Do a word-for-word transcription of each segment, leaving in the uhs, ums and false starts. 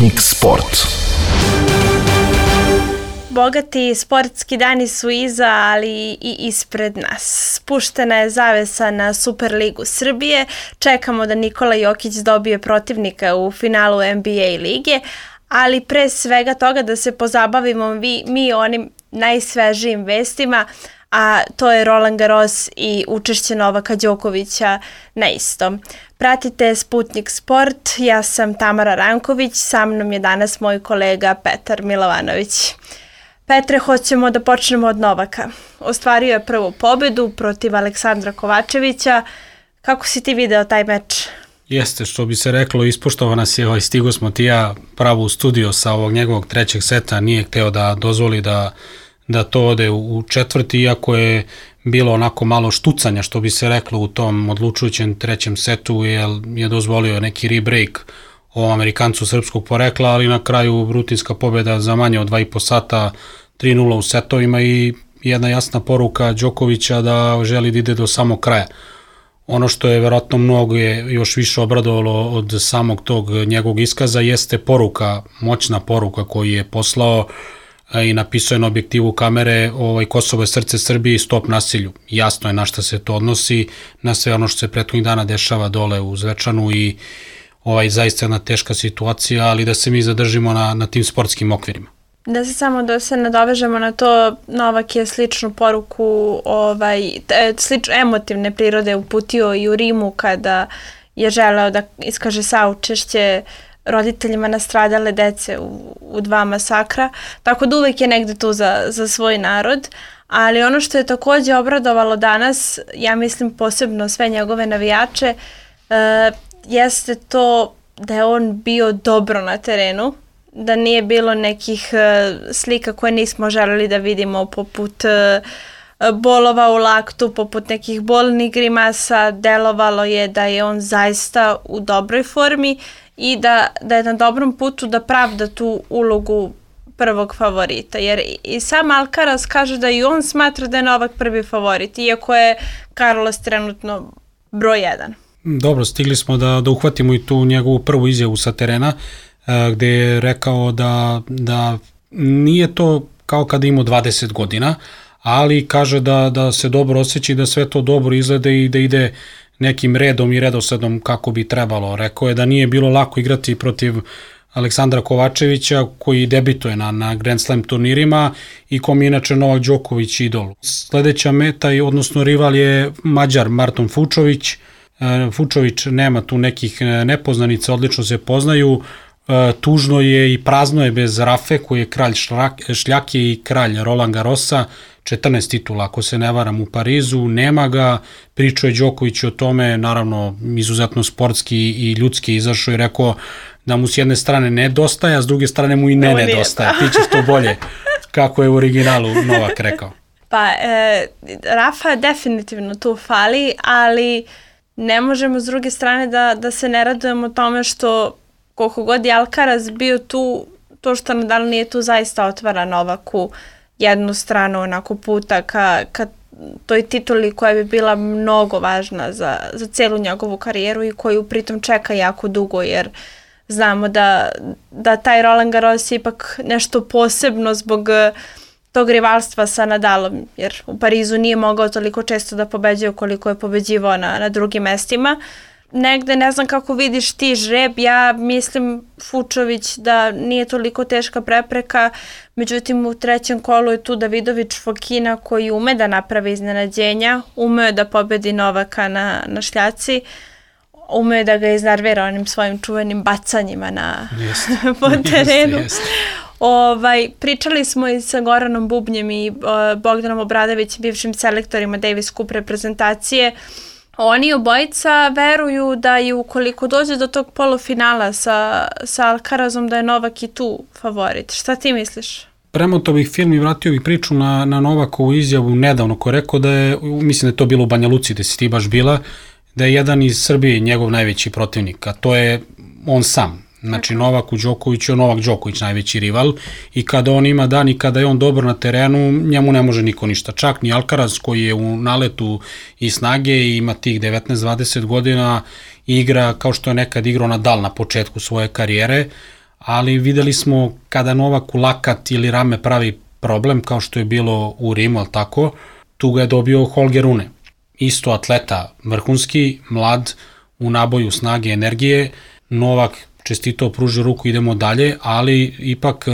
Sputnik Sport. Bogati sportski dani su iza, ali i ispred nas. Spuštena je zavesa na Superligu Srbije, čekamo da Nikola Jokić dobije protivnika u finalu N B A lige, ali pre svega toga da se pozabavimo vi, mi onim najsvežijim vestima, a to je Roland Garros i učešće Novaka Đokovića na istom. Pratite Sputnik Sport, ja sam Tamara Ranković, sa mnom je danas moj kolega Petar Milovanović. Petre, hoćemo da počnemo od Novaka. Ostvario je prvu pobedu protiv Aleksandra Kovačevića. Kako si ti video taj meč? Jeste, što bi se reklo, ispoštovao nas je, ovaj, stigo smo ti ja pravo u studio sa ovog njegovog trećeg seta, nije hteo da dozvoli da, da to ode u četvrti, iako je bilo onako malo štucanja, što bi se reklo u tom odlučujućem trećem setu, jer je dozvolio neki rebreak o Amerikancu srpskog porekla, ali na kraju rutinska pobjeda za manje od dva i po sata, tri nula u setovima i jedna jasna poruka Đokovića da želi da ide do samog kraja. Ono što je verovatno mnogo je još više obradovalo od samog tog njegovog iskaza jeste poruka, moćna poruka koju je poslao i napisao je na objektivu kamere ovaj, Kosovo je srce Srbije i stop nasilju. Jasno je na šta se to odnosi, na sve ono što se prethodnih dana dešava dole u Zvečanu i ovaj, zaista jedna teška situacija, ali da se mi zadržimo na, na tim sportskim okvirima. Da se samo da se nadovežemo na to, Novak je sličnu poruku, ovaj, slično emotivne prirode uputio i u Rimu kada je želeo da iskaže saučešće roditeljima nastradale dece u, u dva masakra, tako da uvek je negde tu za, za svoj narod, ali ono što je takođe obradovalo danas, ja mislim posebno sve njegove navijače, uh, jeste to da je on bio dobro na terenu, da nije bilo nekih uh, slika koje nismo želeli da vidimo, poput uh, bolova u laktu, poput nekih bolnih grimasa. Delovalo je da je on zaista u dobroj formi i da, da je na dobrom putu da pravda tu ulogu prvog favorita, jer i sam Alcaraz kaže da i on smatra da je Novak prvi favorit, iako je Carlos trenutno broj jedan. Dobro, stigli smo da, da uhvatimo i tu njegovu prvu izjavu sa terena, gde je rekao da, da nije to kao kada ima dvadeset godina, ali kaže da, da se dobro osjeća i da sve to dobro izgleda i da ide nekim redom i redosledom kako bi trebalo. Rekao je da nije bilo lako igrati protiv Aleksandra Kovačevića, koji debituje na, na Grand Slam turnirima i kom je inače Novak Đoković idol. Sledeća meta, odnosno rival je Mađar Marton Fučović. Fučović nema tu nekih nepoznanica, odlično se poznaju. Tužno je i prazno je bez Rafe, koji je kralj šljake i kralj Roland Garrosa, četrnaest titula, ako se ne varam, u Parizu, nema ga. Pričao je Đoković o tome, naravno izuzetno sportski i ljudski izašao i rekao da mu s jedne strane nedostaje, a s druge strane mu i ne nedostaje. Ti ćeš to bolje, kako je u originalu Novak rekao. Pa, e, Rafa definitivno tu fali, ali ne možemo s druge strane da, da se ne radujemo tome što koliko god je Alcaraz bio tu, to što Nadal nije tu zaista otvara Novaku jednu stranu onako puta ka, ka toj tituli koja bi bila mnogo važna za, za celu njegovu karijeru i koju pritom čeka jako dugo, jer znamo da, da taj Roland Garros je ipak nešto posebno zbog tog rivalstva sa Nadalom, jer u Parizu nije mogao toliko često da pobeđuje koliko je pobeđivao na, na drugim mestima. Negde ne znam kako vidiš ti žreb, ja mislim Fučović da nije toliko teška prepreka, međutim u trećem kolu je tu Davidović Fokina koji ume da napravi iznenađenja, ume da pobedi Novaka na, na šljaci, ume da ga iznervira onim svojim čuvenim bacanjima na po terenu. Jest, jest. Ovaj, pričali smo i sa Goranom Bubnjem i uh, Bogdanom Obradovićem, bivšim selektorima Davis Cup reprezentacije. Oni obojica veruju da i ukoliko dođe do tog polufinala sa, sa Alcarazom da je Novak i tu favorit. Šta ti misliš? Premoto bih film i vratio bih priču na, na Novakovu izjavu nedavno koji je rekao da je, mislim da je to bilo u Banja Luci gde si ti baš bila, da je jedan iz Srbije njegov najveći protivnik, a to je on sam. Znači Novaku Đokoviću je Novak Đoković najveći rival i kada on ima dan i kada je on dobro na terenu, njemu ne može niko ništa. Čak ni Alcaraz koji je u naletu i snage i ima tih devetnaest dvadeset godina, igra kao što je nekad igrao Nadal na početku svoje karijere, ali videli smo kada Novak u lakat ili rame pravi problem, kao što je bilo u Rimu, ali tako, tu ga je dobio Holger Rune. Isto atleta, vrhunski, mlad, u naboju snage, energije. Novak čestito pružio ruku, idemo dalje, ali ipak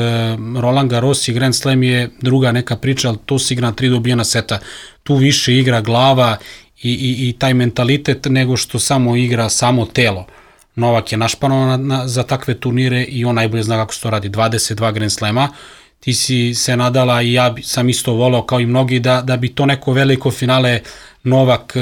Roland Garros i Grand Slam je druga neka priča, ali to se igra na tri dobijena seta. Tu više igra glava i, i, i taj mentalitet nego što samo igra samo telo. Novak je našpanovan za takve turnire i on najbolje zna kako se to radi. dvadeset dva Grand Slema, ti si se nadala i ja sam isto voleo kao i mnogi da, da bi to neko veliko finale Novak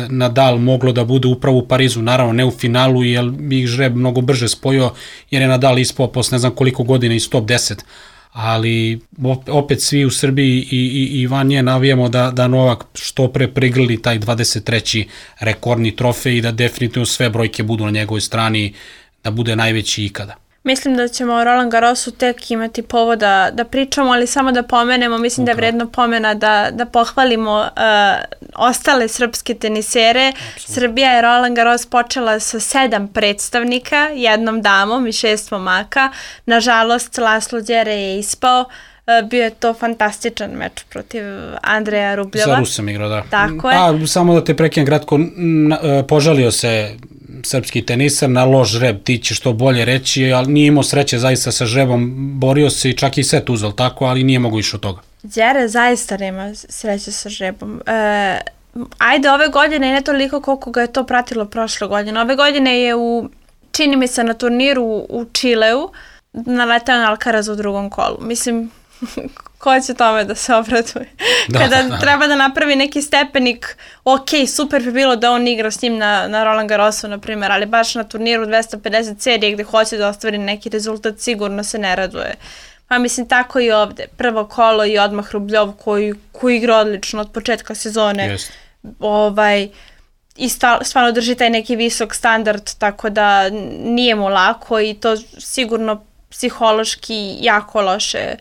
Nadal moglo da bude upravo u Parizu, naravno ne u finalu jer bi ih žreb mnogo brže spojio jer je Nadal ispao posle ne znam koliko godina iz top deset, ali opet svi u Srbiji i, i, i van nje navijamo da, da Novak što pre prigrli taj dvadeset treći rekordni trofej i da definitivno sve brojke budu na njegovoj strani, da bude najveći ikada. Mislim da ćemo o Roland Garrosu tek imati povoda da pričamo, ali samo da pomenemo, mislim da je vredno pomena da, da pohvalimo uh, ostale srpske tenisere. Absolutno. Srbija je Roland Garros počela sa sedam predstavnika, jednom damom i šest momaka. Nažalost, Laslo Đere je ispao. Uh, bio je to fantastičan meč protiv Andreja Rubljova. Za Rusem igrao, da. Tako je. A, samo da te prekinem kratko, požalio se srpski tenisar na loš žreb, ti ćeš to bolje reći, ali nije imao sreće zaista sa žrebom, borio se i čak i set uzeo tako, ali nije mogo više od toga. Đere zaista nema sreće sa žrebom. E, ajde, ove godine ne toliko koliko ga je to pratilo prošle godine. Ove godine je u, čini mi se na turniru u Čileu, naletao na Alcaraz u drugom kolu. Mislim, ko će tome da se obraduje? Da, Kada da. treba da napravi neki stepenik, ok, super bi bilo da on igra s njim na, na Roland Garrosu, na primjer, ali baš na turniru dvesta pedeset serije gde hoće da ostvari neki rezultat, sigurno se ne raduje. Pa mislim, tako i ovde. Prvo kolo i odmah Rubljov koji, koji igra odlično od početka sezone. Yes. Ovaj, i stvarno drži taj neki visok standard, tako da nije mu lako i to sigurno psihološki jako loše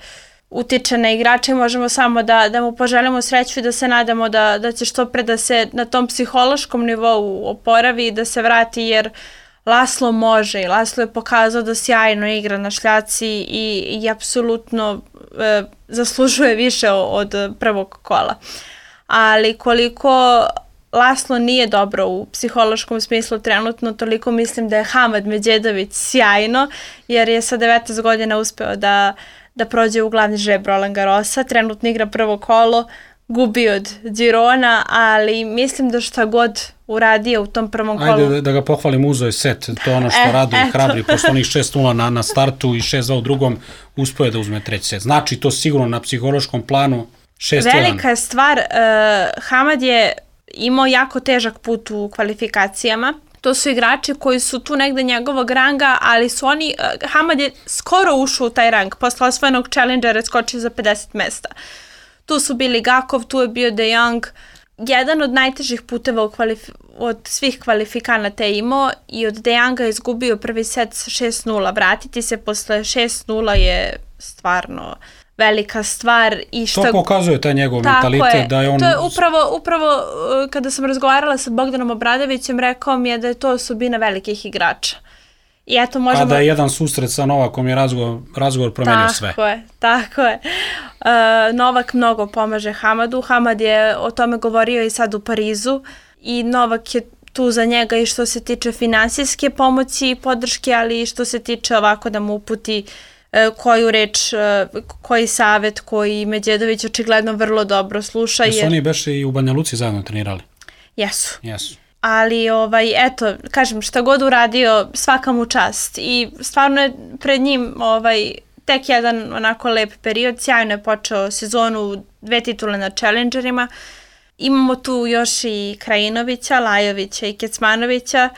utiče na igrače. Možemo samo da, da mu poželimo sreću i da se nadamo da, da će što pre da se na tom psihološkom nivou oporavi i da se vrati, jer Laslo može i Laslo je pokazao da sjajno igra na šljaci i, i apsolutno e, zaslužuje više od prvog kola. Ali koliko Laslo nije dobro u psihološkom smislu trenutno, toliko mislim da je Hamad Medjedović sjajno, jer je sa devetnaest godina uspeo da da prođe u glavni žreb Roland Garrosa, trenutno igra prvo kolo, gubi od Girona, ali mislim da šta god uradio u tom prvom kolu... Ajde da, da ga pohvalim, uzo je set, to je ono što e, raduje i hrabri, posle onih šest nula na, na startu i šest dva u drugom, uspio je da uzme treći set. Znači to sigurno na psihološkom planu šest jedan. Velika je stvar, uh, Hamad je imao jako težak put u kvalifikacijama. To su igrači koji su tu negde njegovog ranga, ali su oni, uh, Hamad je skoro ušao u taj rang, posle osvojenog Challengera skočio za pedeset mesta. Tu su bili Gakov, tu je bio De Jong, jedan od najtežih puteva u kvalif- od svih kvalifikanata je imao i od De Jonga je izgubio prvi set sa šest nula. Vratiti se posle šest nula je stvarno velika stvar. I šta... To pokazuje taj njegov mentalitet je. Da je on... To je upravo, upravo kada sam razgovarala sa Bogdanom Obradovićem, rekao mi je da je to osobina velikih igrača. I eto možemo... A da je jedan susret sa Novakom je razgovor, razgovor promenio tako sve. Tako je, tako je. Uh, Novak mnogo pomaže Hamadu. Hamad je o tome govorio i sad u Parizu i Novak je tu za njega i što se tiče finansijske pomoći i podrške, ali i što se tiče ovako da mu uputi uh, koju reč, uh, koji savet, koji Medjedović očigledno vrlo dobro sluša. Jesu jer... oni beše i u Banja Luci zajedno trenirali? Jesu. Jesu. Ali, ovaj, eto, kažem, šta god uradio, svaka mu čast. I stvarno je pred njim ovaj, tek jedan onako lep period. Sjajno je počeo sezonu, dve titule na Challengerima. Imamo tu još i Krajinovića, Lajovića i Kecmanovića.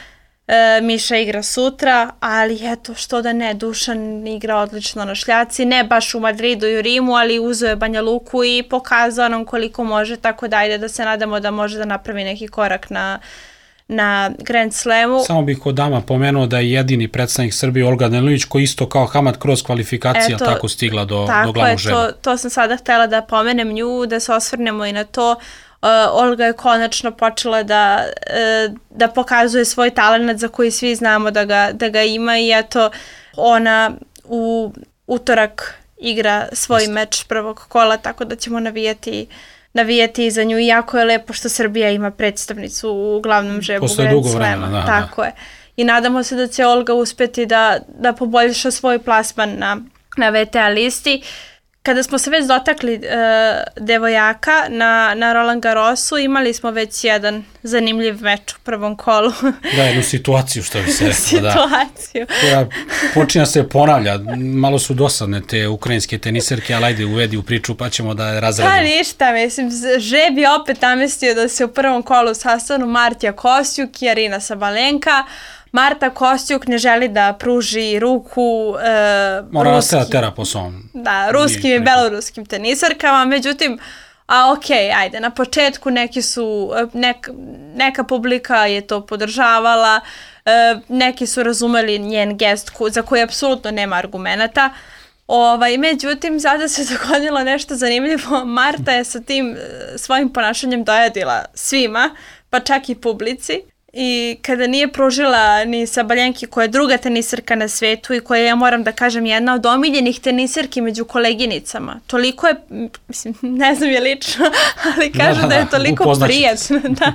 E, Miša igra sutra, ali eto, što da ne, Dušan igra odlično na šljaci. Ne baš u Madridu i u Rimu, ali uzeo je Banja Luku i pokazao nam koliko može, tako da ajde da se nadamo da može da napravi neki korak na na Grand Slamu. Samo bih kod dama pomenuo da je jedini predstavnik Srbije Olga Danilić koji isto kao Hamad kroz kvalifikacije Eto, tako stigla do, do glavnog žreba. Tako je, to, to sam sada htjela da pomenem nju, da se osvrnemo i na to. Uh, Olga je konačno počela da, uh, da pokazuje svoj talent za koji svi znamo da ga, da ga ima i eto ona u utorak igra svoj Jeste. meč prvog kola, tako da ćemo navijati navijati za nju. I jako je lepo što Srbija ima predstavnicu u glavnom žrebu Grand Slema. Da, tako da. je. I nadamo se da će Olga uspeti da, da poboljša svoj plasman na, na V T A listi. Kada smo se već dotakli uh, devojaka na, na Roland Garrosu, imali smo već jedan zanimljiv meč u prvom kolu. Da, jednu situaciju, što bi se rekao. Situaciju. Da. Koja počinja se ponavlja. Malo su dosadne te ukrajinske teniserke, ali ajde uvedi u priču pa ćemo da je razradimo. Pa ništa, mislim, žreb je opet namestio da se u prvom kolu sastanu Martija Kostjuk i Arina Sabalenka. Marta Kostjuk ne želi da pruži ruku e, Mora ruski, da tera po svom. Da, ruskim i beloruskim tenisarkama, međutim, a ok, ajde, na početku neki su, nek, neka publika je to podržavala, e, neki su razumeli njen gest ko, za koji apsolutno nema argumenata. Ovaj, međutim, sada se dogodilo nešto zanimljivo. Marta je sa tim svojim ponašanjem dojadila svima, pa čak i publici. I kada nije pružila ni Sabalenki, koja je druga tenisarka na svetu i koja je, ja moram da kažem, jedna od omiljenih tenisarki među koleginicama. Toliko je, mislim, ne znam je lično, ali kažu da, da, da je toliko prijatna. Da,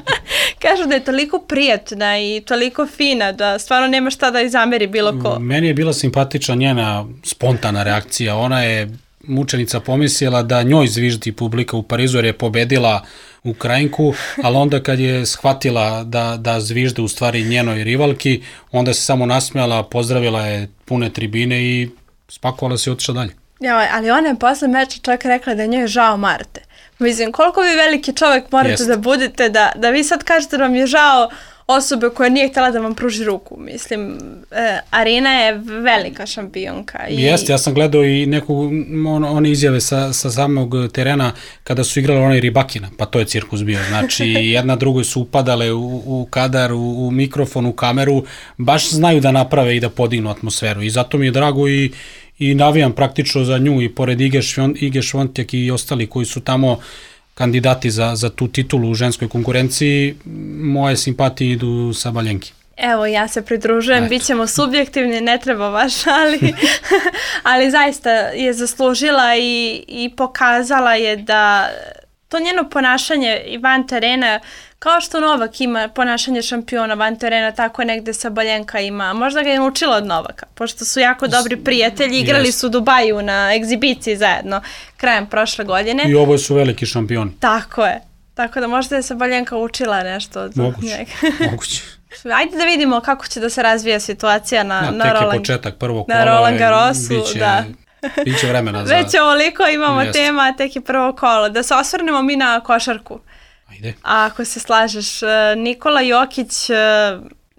kažu da je toliko prijatna i toliko fina da stvarno nema šta da izameri bilo ko. Meni je bila simpatična njena spontana reakcija. Ona je mučenica pomislila da njoj zviždi publika u Parizu jer je pobedila Ukrajinku, ali onda kad je shvatila da, da zvižde u stvari njenoj rivalki, onda se samo nasmijala, pozdravila je pune tribine i spakovala se i otišla dalje. Ja, ali ona je posle meča čak rekla da njoj je žao Marte. Mislim, koliko vi veliki čovjek morate Jest. da budete, da, da vi sad kažete da vam je žao osobe koja nije htjela da vam pruži ruku. Mislim, e, Arina je velika šampionka. I... Jeste, ja sam gledao i neku, on, one izjave sa, sa samog terena kada su igrali onaj Ribakina, pa to je cirkus bio. Znači, jedna drugoj su upadale u, u kadar, u, u mikrofon, u kameru, baš znaju da naprave i da podignu atmosferu. I zato mi je drago i, i navijam praktično za nju i pored Ige, Švon, Ige Švontjak i ostali koji su tamo kandidati za, za tu titulu u ženskoj konkurenciji, moje simpatije idu Sabalenki. Evo, ja se pridružujem, Eto. bit ćemo subjektivni, ne treba baš, ali, ali zaista je zaslužila i, i pokazala je da to njeno ponašanje i van terena, kao što Novak ima ponašanje šampiona van terena, tako je negde Sabalenka ima. Možda ga je naučila od Novaka, pošto su jako dobri prijatelji, igrali su u Dubaju na egzibiciji zajedno krajem prošle godine. I oboje su veliki šampioni. Tako je. Tako da možda je Sabalenka učila nešto od moguće, njega. Moguće. Ajde da vidimo kako će da se razvija situacija na, na, na, tek Roland, je početak prvog kola. Na Roland Garrosu, biće, da. Biće vremena za... Već ovoliko imamo Jeste. tema, tek je prvo kolo. Da se osvrnemo mi na košarku. Ajde. A ako se slažeš, Nikola Jokić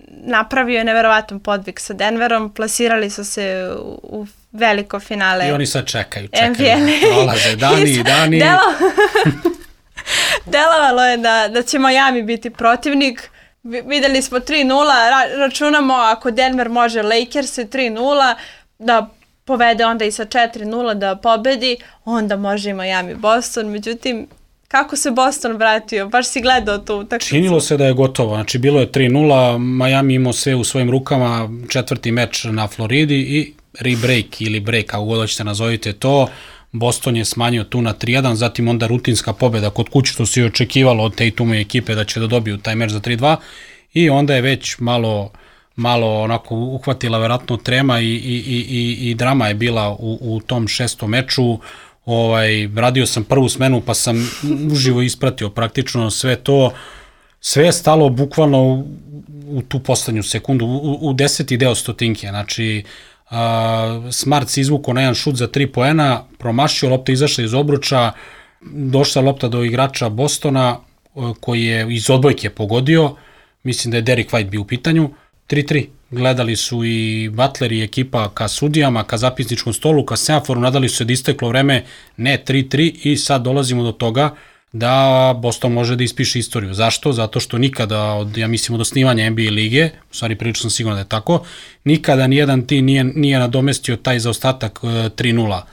napravio je neverovatan podvig sa Denverom, plasirali su se u, u veliko finale. I oni sad čekaju, čekaju, prolaze dani i dani. Delo... Delovalo je da, da će Miami biti protivnik. Videli smo tri nula, ra- računamo ako Denver može Lakers tri nula, da povede onda i sa četiri nula da pobedi, onda može i Miami Boston, međutim, kako se Boston vratio? Baš si gledao tu utakmicu. Činilo se da je gotovo, znači bilo je tri nula, Miami imao sve u svojim rukama, četvrti meč na Floridi i rebreak ili break, kako god hoćete nazovite to, Boston je smanjio tu na tri jedan, zatim onda rutinska pobjeda kod kuće, što se je očekivalo od Tatumove ekipe da će da dobiju taj meč za tri dva i onda je već malo, malo onako uhvatila verovatno trema i, i, i, i, i drama je bila u, u tom šestom meču. Ovaj, radio sam prvu smenu pa sam uživo ispratio praktično sve to, sve je stalo bukvalno u, u tu poslednju sekundu, u, u deseti deo stotinke, znači uh, Smart se izvukao na jedan šut za tri poena, promašio, lopta izašla iz obruča, došla lopta do igrača Bostona uh, koji je iz odbojke pogodio, mislim da je Derek White bio u pitanju, tri tri. Gledali su i Butler i ekipa ka sudijama, ka zapisničkom stolu, ka semaforu, nadali su se da isteklo vreme, ne tri tri i sad dolazimo do toga da Boston može da ispiše istoriju. Zašto? Zato što nikada, od, ja mislim od osnivanja N B A lige, u stvari prilično sam sigurno da je tako, nikada nijedan tim nije, nije nadomestio taj zaostatak e, tri nula.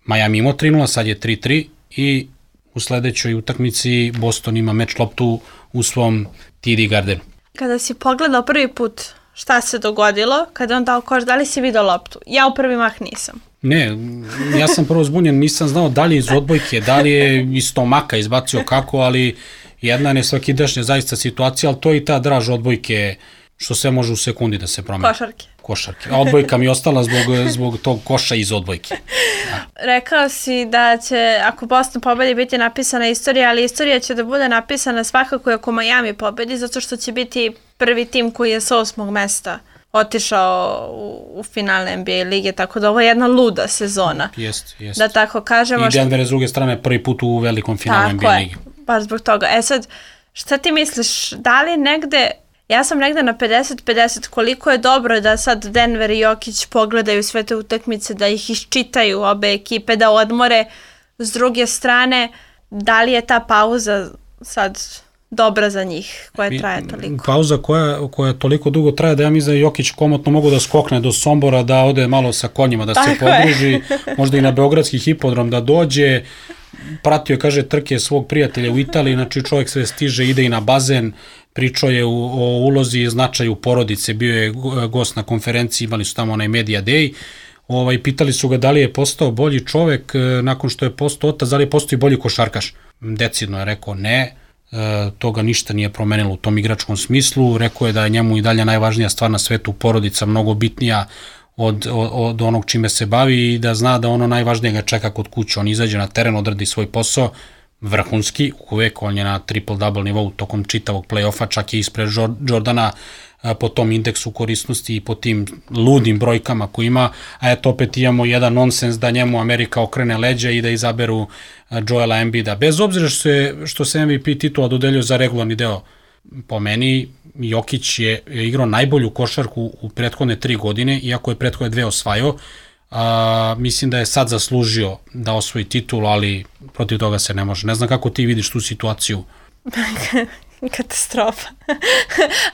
Miami imao tri nula, sad je tri tri i u sledećoj utakmici Boston ima meč loptu u svom T D Gardenu. Kada si pogledao prvi put šta se dogodilo kada on dao koš, da li si vidio loptu? Ja u prvi mah nisam. Ne, ja sam prvo zbunjen, nisam znao da li je iz odbojke, da li je iz stomaka izbacio kako, ali jedna nesvakidašnja zaista situacija, ali to je i ta draž odbojke, što sve može u sekundi da se promeni. Košarke. Košarke. A odbojka mi je ostala zbog, zbog tog koša iz odbojke. Ja. Rekao si da će, ako Boston pobedi, biti napisana istorija, ali istorija će da bude napisana svakako ako Miami pobedi, zato što će biti prvi tim koji je s osmog mesta otišao u, u finale N B A lige, tako da ovo je jedna luda sezona. Jest, jest. Da tako kažemo. I Denver je s druge strane prvi put u velikom finalu N B A lige. Tako je, baš zbog toga. E sad, šta ti misliš, da li negde, ja sam negde na pedeset pedeset, koliko je dobro da sad Denver i Jokić pogledaju sve te utakmice, da ih iščitaju obe ekipe, da odmore. S druge strane, da li je ta pauza sad dobra za njih, koja traje toliko? Pauza koja, koja toliko dugo traje da ja mislim da Jokić komotno mogu da skokne do Sombora, da ode malo sa konjima, da tako se podruži, možda i na beogradski hipodrom da dođe. Pratio je, kaže, trke svog prijatelja u Italiji, znači čovjek sve stiže, ide i na bazen, pričao je u, o ulozi i značaju porodice, bio je gost na konferenciji, imali su tamo onaj Media Day, ovaj, pitali su ga da li je postao bolji čovjek nakon što je postao otac, da li je postao i bolji košarkaš. Decidno je rekao ne, e, toga ništa nije promenilo u tom igračkom smislu, rekao je da je njemu i dalje najvažnija stvar na svetu porodica, mnogo bitnija od, od, od onog čime se bavi i da zna da ono najvažnije ga čeka kod kuće, on izađe na teren, odradi svoj posao, vrhunski, uvek on je na triple-double nivou tokom čitavog play-offa, čak i ispred Jordana po tom indeksu korisnosti i po tim ludim brojkama koji ima, a eto opet imamo jedan nonsens da njemu Amerika okrene leđa i da izaberu Joela Embida. Bez obzira što se, što se M V P titula dodeljio za regularni deo, po meni Jokić je, je igrao najbolju košarku u prethodne tri godine, iako je prethodne dve osvajao. A, mislim da je sad zaslužio da osvoji titul, ali protiv toga se ne može. Ne znam kako ti vidiš tu situaciju. Katastrofa.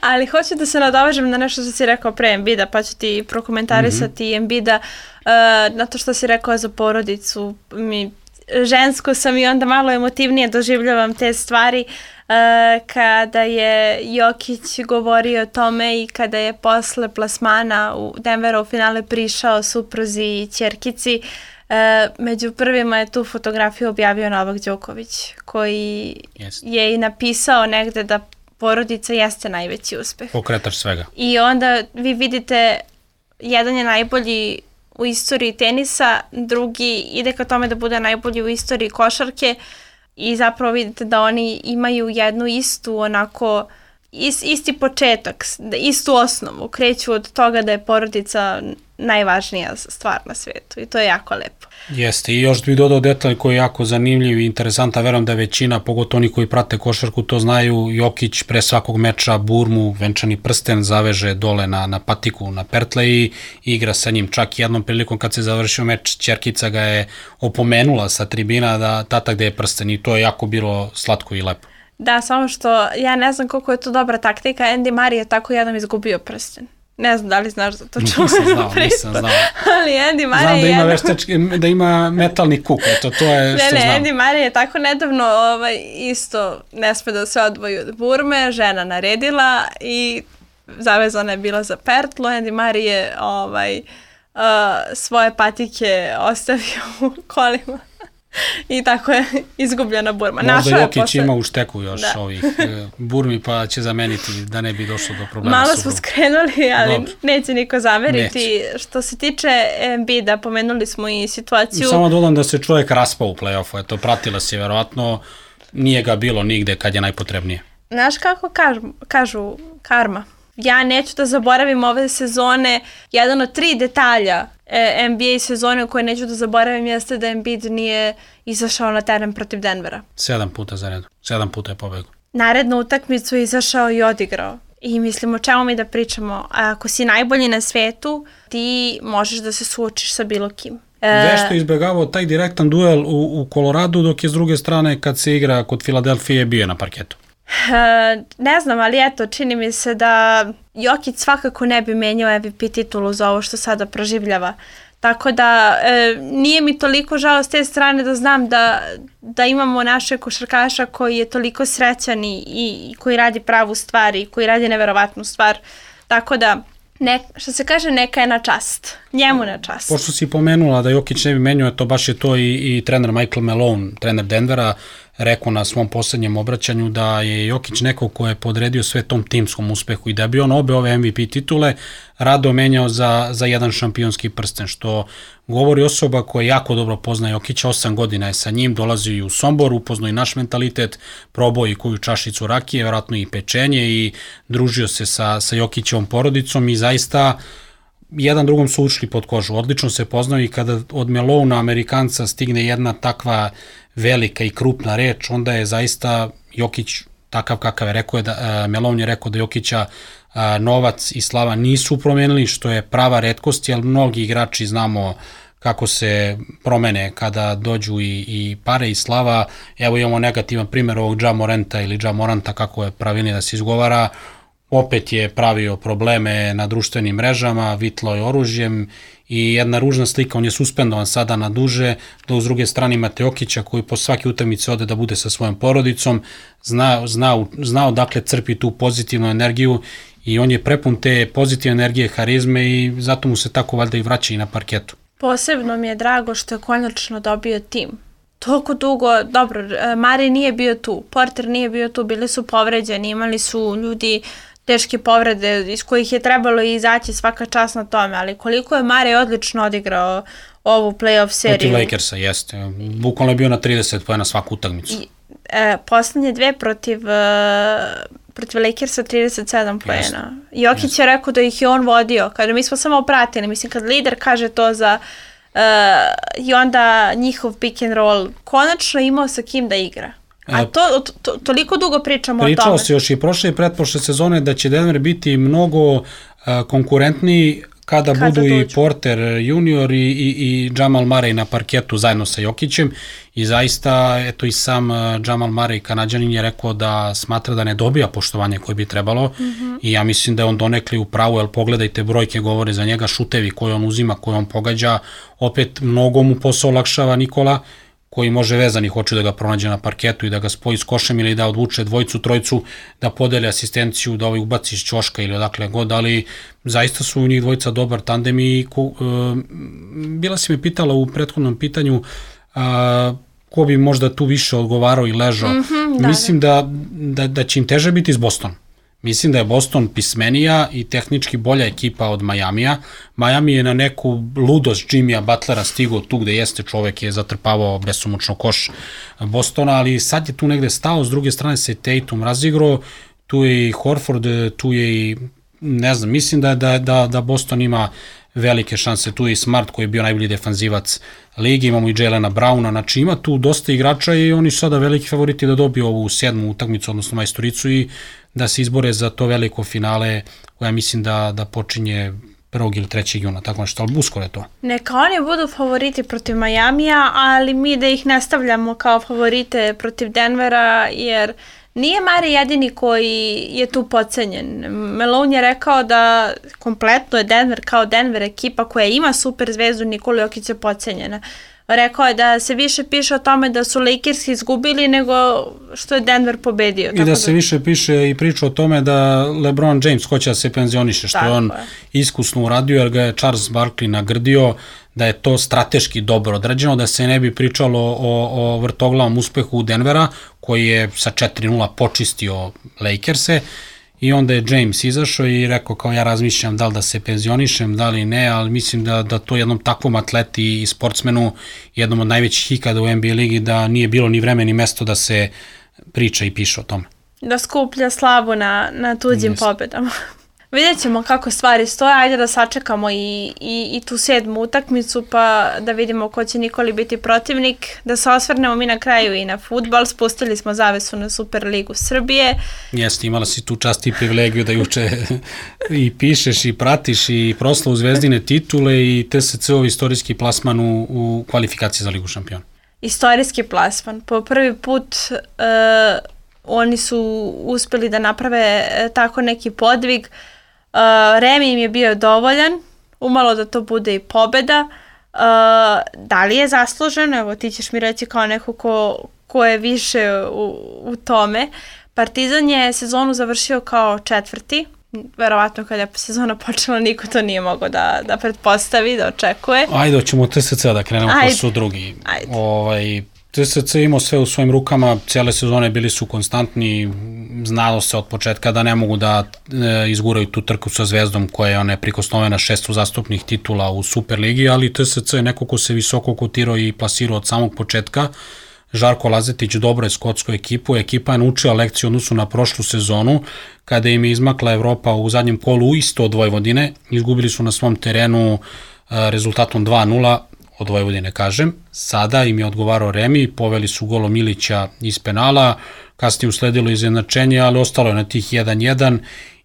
Ali hoću da se nadovežem na nešto što si rekao pre Embida, pa ću ti prokomentarisati mm-hmm. Embida uh, na to što si rekao za porodicu. Mi, žensko sam i onda malo emotivnije doživljavam te stvari. Uh, kada je Jokić govorio o tome i kada je posle plasmana u Denveru u finale prišao supruzi i ćerkici, uh, među prvima je tu fotografiju objavio Novak Đoković, koji yes. je i napisao negde da porodica jeste najveći uspeh. Pokretač svega. I onda vi vidite, jedan je najbolji u istoriji tenisa, drugi ide ka tome da bude najbolji u istoriji košarke, i zapravo vidite da oni imaju jednu istu onako, is, isti početak, istu osnovu, kreću od toga da je porodica najvažnija stvar na svijetu i to je jako lepo. Jeste, i još bih dodao detalj koji je jako zanimljiv i interesantan, verujem da je većina, pogotovo oni koji prate košarku, to znaju. Jokić pre svakog meča burmu, venčani prsten zaveže dole na, na patiku, na pertle i igra sa njim. Čak jednom prilikom kad se završio meč, ćerkica ga je opomenula sa tribina da tata gde je prsten i to je jako bilo slatko i lepo. Da, samo što ja ne znam koliko je to dobra taktika, Andy Murray je tako jednom izgubio prsten. Ne znam da li znaš za to čuvenu Nisam znao, nisam znao. Ali Andy Murray znam da ima, jedno... veštački, da ima metalni kuk, eto, to je ne, što ne, znam. Andy Murray je tako nedavno ovaj, isto ne sme da se odvoji od burme, žena naredila i zavezana je bila za pertlu. Andy Murray je ovaj, uh, svoje patike ostavio u kolima. I tako je izgubljena burma. Možda Jokić posle... ima u šteku još da. ovih e, burmi, pa će zameniti da ne bi došlo do problema. Malo smo skrenuli, ali Dobro. neće niko zameriti. Neće. Što se tiče Embida, pomenuli smo i situaciju... Samo dodam da se čovjek raspao u play-offu. Eto, pratila se vjerovatno, nije ga bilo nigde kad je najpotrebnije. Znaš kako kažu, kažu karma? Ja neću da zaboravim ove sezone. Jedan od tri detalja N B A sezone koje neću da zaboravim jeste da Embiid nije izašao na teren protiv Denvera. Sedam puta za redu. Sedam puta je pobegao. Narednu utakmicu je izašao i odigrao. I mislim, o čemu mi da pričamo? Ako si najbolji na svetu, ti možeš da se suočiš sa bilo kim. Vešto je izbjegavao taj direktan duel u, u Koloradu, dok je s druge strane kad se igra kod Filadelfije bio na parketu. Uh, ne znam, ali eto, čini mi se da Jokić svakako ne bi menjao M V P titulu za ovo što sada proživljava. Tako da e, nije mi toliko žao s te strane da znam da, da imamo našeg košarkaša koji je toliko srećan i, i koji radi pravu stvar i koji radi neverovatnu stvar. Tako da Ne, što se kaže, neka je na čast. Njemu na čast. Pošto si pomenula da Jokić ne bi menio, to baš je to i, i trener Michael Malone, trener Denvera, rekao na svom poslednjem obraćanju da je Jokić neko ko je podredio sve tom timskom uspehu i da bi on obe ove M V P titule rado menjao za, za jedan šampionski prsten, što govori osoba koja jako dobro pozna Jokića, osam godina je sa njim, dolazi i u Sombor, upoznao i naš mentalitet, probao i koju čašicu rakije, vjerojatno i pečenje i družio se sa, sa Jokićevom porodicom i zaista jedan drugom su ušli pod kožu. Odlično se poznao i kada od Melona, Amerikanca, stigne jedna takva velika i krupna reč, onda je zaista Jokić takav kakav je rekao, je da, uh, Melon je rekao da Jokića uh, novac i slava nisu promenili, što je prava retkost, jer mnogi igrači znamo kako se promene kada dođu i, i pare i slava. Evo imamo negativan primjer ovog Ja Moranta ili Ja Moranta, kako je pravilnije da se izgovara, opet je pravio probleme na društvenim mrežama, vitlo je oružjem i jedna ružna slika, on je suspendovan sada na duže, da uz druge strane imate Jokića koji po svake utakmice ode da bude sa svojom porodicom, zna, zna, zna odakle crpi tu pozitivnu energiju i on je prepun te pozitivne energije, harizme i zato mu se tako valjda i vraća i na parketu. Posebno mi je drago što je konačno dobio tim. Toliko dugo, dobro, Mari nije bio tu, Porter nije bio tu, bili su povređeni, imali su ljudi teške povrede iz kojih je trebalo izaći, svaka čast na tome, ali koliko je Mari odlično odigrao ovu play-off seriju. Protiv Lakersa, jeste. Bukvalno je bio na trideset poena svaku utakmicu. I, e, poslednje dve protiv, e, protiv Lakersa trideset sedam poena. Jokić je rekao da ih je on vodio, kada mi smo samo pratili, mislim kad lider kaže to za Uh, i onda njihov pick and roll konačno imao sa kim da igra. A to, to, to toliko dugo pričamo o tome. Pričao se još i prošle i pretprošle sezone da će Denver biti mnogo uh, konkurentniji kada, kada budu dođu. I Porter junior i, i, i Jamal Murray na parketu zajedno sa Jokićem i zaista eto i sam uh, Jamal Murray Kanađanin je rekao da smatra da ne dobija poštovanje koje bi trebalo mm-hmm. i ja mislim da je on donekli u pravu, jer pogledajte brojke govore za njega, šutevi koje on uzima, koje on pogađa, opet mnogo mu posao olakšava Nikola koji može vezanih hoće da ga pronađe na parketu i da ga spoji s košem ili da odvuče dvojicu, trojicu, da podeli asistenciju, da ovaj ubaci iz ćoška ili odakle god, ali zaista su u njih dvojica dobar tandem i ko, uh, bila si me pitala u prethodnom pitanju uh, ko bi možda tu više odgovarao i ležao. Mm-hmm, da, Mislim da, da, da će im teže biti iz Bostona. Mislim da je Boston pismenija i tehnički bolja ekipa od Majamija. Miami je na neku ludost Jimmya Butlera stigao tu gde jeste, čovek je zatrpavao besomučno koš Bostona, ali sad je tu negde stao, s druge strane se Tatum razigrao, tu je i Horford, tu je i, ne znam, mislim da, da, da, da Boston ima velike šanse, tu je i Smart koji je bio najbolji defanzivac ligi, imamo i Jelena Browna, znači ima tu dosta igrača i oni su sada veliki favoriti da dobiju ovu sedmu utakmicu, odnosno majstoricu i da se izbore za to veliko finale koja mislim da, da počinje prvog ili trećeg juna, tako nešto, ali uskoro je to. Neka oni budu favoriti protiv Majamija, ali mi da ih ne stavljamo kao favorite protiv Denvera, jer nije Mari jedini koji je tu podcenjen. Malone je rekao da kompletno je Denver kao Denver ekipa koja ima super zvezdu, Nikola Jokić je podcenjena. Rekao je da se više piše o tome da su Lakers izgubili nego što je Denver pobedio. I da, da se više piše i priča o tome da LeBron James hoće da se penzioniše, što je on je. iskusno uradio jer ga je Charles Barkley nagrdio, da je to strateški dobro odrađeno, da se ne bi pričalo o, o vrtoglavom uspehu Denvera koji je sa četiri nula počistio Lakerse. I onda je James izašao i rekao kao ja razmišljam da li da se penzionišem, da li ne, ali mislim da, da to jednom takvom atleti i sportsmenu, jednom od najvećih ikada u N B A ligi, da nije bilo ni vreme ni mesto da se priča i piše o tome. Da skuplja slavu na, na tuđim yes. pobedama. Vidjet ćemo kako stvari stoje, ajde da sačekamo i, i, i tu sedmu utakmicu pa da vidimo ko će Nikoli biti protivnik, da se osvrnemo mi na kraju i na fudbal, spustili smo zavesu na Superligu Srbije. Jeste, imala si tu čast i privilegiju da juče i pišeš i pratiš i proslavu Zvezdine titule i T S C-ov istorijski plasman u, u kvalifikaciji za Ligu šampiona. Istorijski plasman, po prvi put uh, oni su uspeli da naprave uh, tako neki podvig. Uh, Remi im je bio dovoljan, umalo da to bude i pobeda. Uh, da li je zasluženo? Evo ti ćeš mi reći kao neko ko, ko je više u, u tome. Partizan je sezonu završio kao četvrti, verovatno kada je sezona počela niko to nije mogao da, da pretpostavi, da očekuje. Ajde, hoćemo T S C da krenemo, ko su drugi. Ajde. Ovaj, T S C imao sve u svojim rukama, cijele sezone bili su konstantni, znalo se od početka da ne mogu da e, izguraju tu trku sa Zvezdom koja je neprikosnovena šest uzastopnih titula u Superligi, ali T S C je neko ko se visoko kotirao i plasirao od samog početka. Žarko Lazetić dobro je skotsku ekipu, ekipa je naučila lekciju odnosu na prošlu sezonu, kada im je izmakla Evropa u zadnjem kolu isto od Vojvodine, izgubili su na svom terenu e, rezultatom dva nula, od Vojvodine kažem, sada im je odgovarao remi, poveli su golom Milića iz penala, kasnije usledilo izjednačenje, ali ostalo je na tih jedan jedan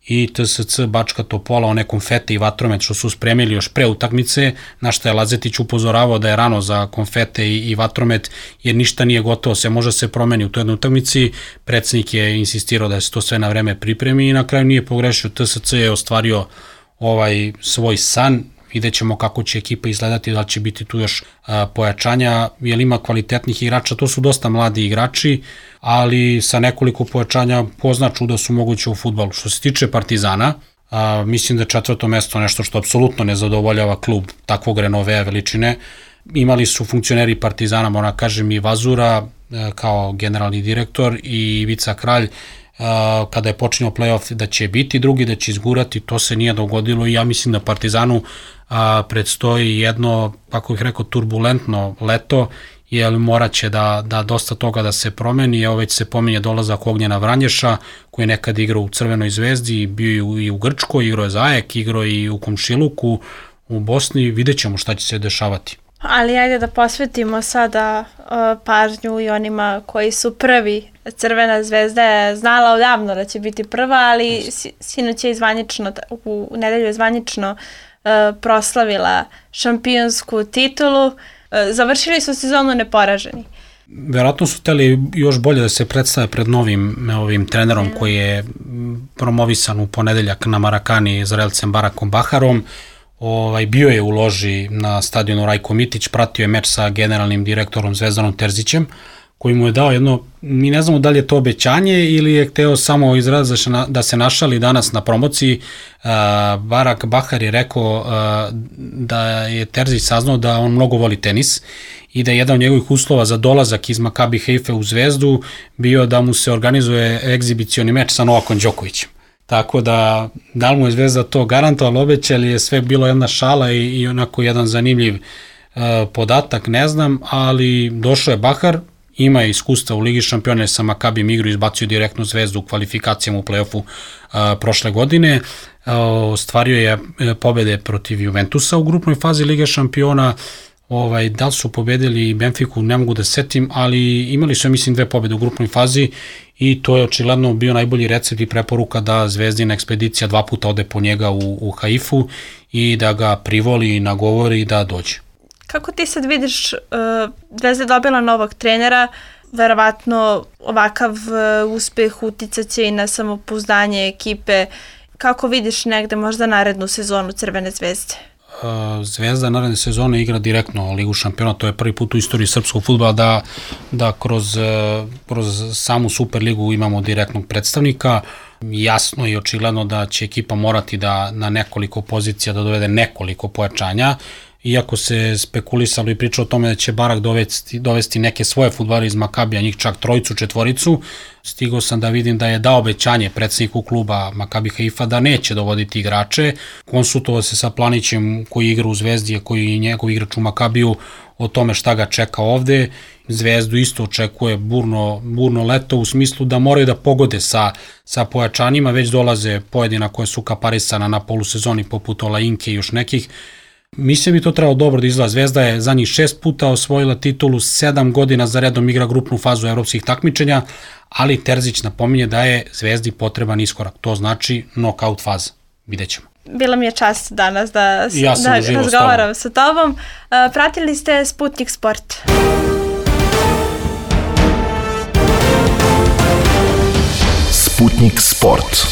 i T S C Bačka Topola, one konfete i vatromet što su spremili još pre utakmice, na što je Lazetić upozoravao da je rano za konfete i, i vatromet, jer ništa nije gotovo, se može se promeni u toj jednoj utakmici, predsednik je insistirao da se to sve na vreme pripremi i na kraju nije pogrešio, T S C je ostvario ovaj svoj san. Vidjet ćemo kako će ekipa izgledati, da će biti tu još a, pojačanja, jer ima kvalitetnih igrača, to su dosta mladi igrači, ali sa nekoliko pojačanja pozna čuda su moguće u fudbalu. Što se tiče Partizana, a, mislim da je četvrto mesto nešto što apsolutno ne zadovoljava klub takvog renovea veličine. Imali su funkcioneri Partizana, moram kažem i Vazura a, kao generalni direktor i Ivica Kralj, kada je počinio play-off da će biti drugi, da će izgurati, to se nije dogodilo i ja mislim da Partizanu a, predstoji jedno, kako bih rekao, turbulentno leto, jer morat će da, da dosta toga da se promeni, evo već se pominje dolazak Ognjena Vranješa, koji je nekad igrao u Crvenoj zvezdi, bio i u Grčkoj, igrao je za Ajek, igrao i u Komšiluku, u Bosni, vidjet ćemo šta će se dešavati. Ali ajde da posvetimo sada uh, pažnju i onima koji su prvi. Crvena zvezda je znala odavno da će biti prva, ali sinoć je zvanično, u nedelju je zvanično uh, proslavila šampionsku titulu. Uh, završili su sezonu neporaženi. Verovatno su hteli još bolje da se predstave pred novim ovim trenerom mm. koji je promovisan u ponedeljak na Marakani Izraelcem Barakom Baharom. Ovaj, bio je u loži na stadionu Rajko Mitić, pratio je meč sa generalnim direktorom Zvezdanom Terzićem, koji mu je dao jedno, mi ne znamo da li je to obećanje ili je hteo samo izraz da se našali danas na promociji. Barak Bahar je rekao da je Terzić saznao da on mnogo voli tenis i da je jedan od njegovih uslova za dolazak iz Makabi Haife u Zvezdu bio da mu se organizuje egzibicioni meč sa Novakom Đokovićem. Tako da, da li mu je Zvezda to garantovala, obećali, je sve bilo jedna šala i, i onako jedan zanimljiv uh, podatak, ne znam, ali došao je Bahar, ima iskustva u Ligi šampiona sa Makabim igru, izbacio direktnu Zvezdu u kvalifikacijama u play-offu uh, prošle godine, uh, ostvario je pobede protiv Juventusa u grupnoj fazi Lige šampiona, ovaj, da li su pobedili Benfiku, ne mogu da setim, ali imali su, mislim, dve pobede u grupnoj fazi i to je očigledno bio najbolji recept i preporuka da Zvezdina ekspedicija dva puta ode po njega u, u Haifu i da ga privoli i nagovori da dođe. Kako ti sad vidiš, uh, Zvezda je dobila novog trenera, verovatno ovakav uh, uspeh uticaće i na samopouzdanje ekipe. Kako vidiš negde možda narednu sezonu Crvene zvezde? Zvezda naredne sezone igra direktno Ligu šampiona, to je prvi put u istoriji srpskog fudbala da, da kroz, kroz samu Superligu imamo direktnog predstavnika. Jasno i očigledno da će ekipa morati da na nekoliko pozicija da dovede nekoliko pojačanja, iako se spekulisalo i pričao o tome da će Barak dovesti, dovesti neke svoje fudbalere iz Makabija, njih čak trojicu, četvoricu. Stigao sam da vidim da je dao obećanje predsjedniku kluba Makabi Haifa da neće dovoditi igrače. Konsultovao se sa Planićem koji igra u Zvezdi, koji je njegov igrač u Makabiju, o tome šta ga čeka ovde. Zvezdu isto očekuje burno, burno leto u smislu da moraju da pogode sa, sa pojačanjima, već dolaze pojedina koje su kaparisana na polusezoni poput Olainke i još nekih. Mislim bi to trebalo dobro da izgleda. Zvezda je za njih šest puta osvojila titulu, sedam godina za redom igra grupnu fazu evropskih takmičenja, ali Terzić napominje da je Zvezdi potreban iskorak. To znači knockout faza. Vidjet ćemo. Bila mi je čast danas da, ja da razgovaram sa tobom. Uh, pratili ste Sputnik Sport. Sputnik Sport.